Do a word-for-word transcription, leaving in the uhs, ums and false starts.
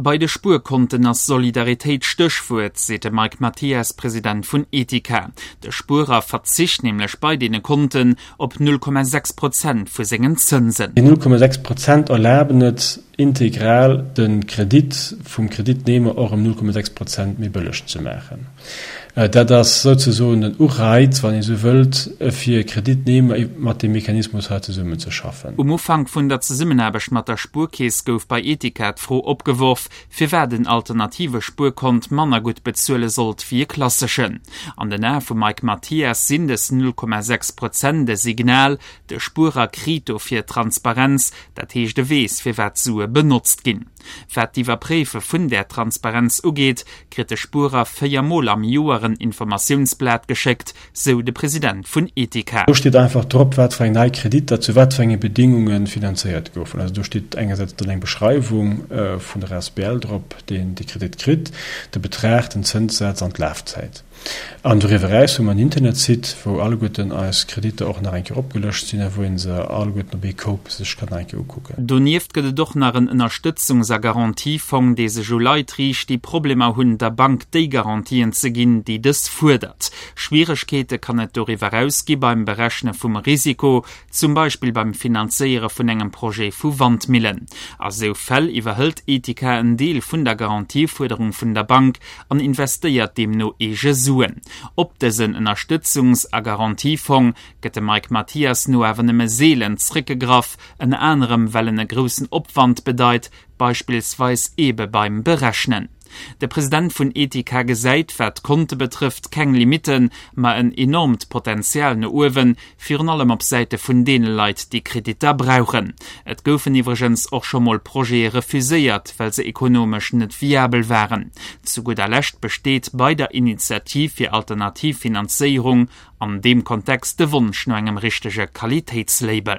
Bei de Spuerkonten ass Solidaritéit d'Stéchwuert, seet de Mike Mathias, President vun Etika. De Spuerer verzicht nämlech bei deene Konten op null Komma sechs Prozent vu sengen Zënsen. Déi null Komma sechs Prozent erlaben et, integral de Kredit vum Kreditnehmer och ëm null Komma sechs Prozent méi bëlleg ze maachen. Dat ass souzesoen den Ureiz, wann ee sou wëllt, fir Kreditnehmer mat deem Mechanismus hei zesummenzeschaffen. Um Ufank vun der Zesummenaarbecht mat der Spuerkeess gouf bei Etika d'Fro opgeworf, firwat en alternative Spuerkont manner gutt bezuele sollt wéi e klasseschen. An den Ae vum Mike Mathias sinn dës null Komma sechs Prozent e Signal, de Spuerer kritt dofir Transparenz, dat heescht e weess, firwat d'Sue benotzt ginn. Wat d'Iwwerpréife vun där Transparenz ugeet, kritt de Spuerer véier Mol am Joer en Informatiounsblat geschéckt, sou de President vun Etika. Do steet einfach drop, wat fir eng nei Kreditter zu wat fir enge Bedingunge finanzéiert goufen. Also do steet engersäits dann eng Beschreiwung vun der asbl drop, déi de Kredit kritt, de Betrag, den Zënssaz an d'Lafzäit. An doriwwer eraus hu mer en Internetsite, wou alleguerten eis Kreditter och nach eng Kéier opgelëscht sinn a wou ee se alleguerten op ee Koup sech kann nach eng Kéier ukucken. Donieft gëtt et och nach en Ënnerstëtzungs a Garantiefong, dee sech u Leit riicht, déi Problemer hunn, der Bank déi Garantien ze ginn, déi dës fuerdert. Schwieregkeete kann et doriwwer eraus gi beim Berechne vum Risiko, zum Beispill beim Finanzéiere vun engem Projet vu Wandmillen. A sou Fäll iwwerhëlt Etika en Deel vun der Garantiefuerderung vun der Bank an investéiert deemno eege Suen. Op dësen Ënnerstëtzungs a Garantiefong gëtt de Mike Mathias no awer nëmme seelen zréckgegraff, ënner anerem well en e groussen Opwand bedeit, beispillsweis eebe beim Berechnen. De President vun Etika gesäit, wat d'Konte betrëfft, keng Limitten, ma en enormt Potenzial no uewen, virun allem op Säite vun deene Leit, déi Kreditter brauchen. Et goufen iwwregens och scho mol Projete refuséiert, well se ekonomesch net viabel waren. Zu gudder Lescht besteet bei der Initiativ fir alternativ Finanzéierung an deem Kontext de Wonsch no engem richtege Qualitéitslabel.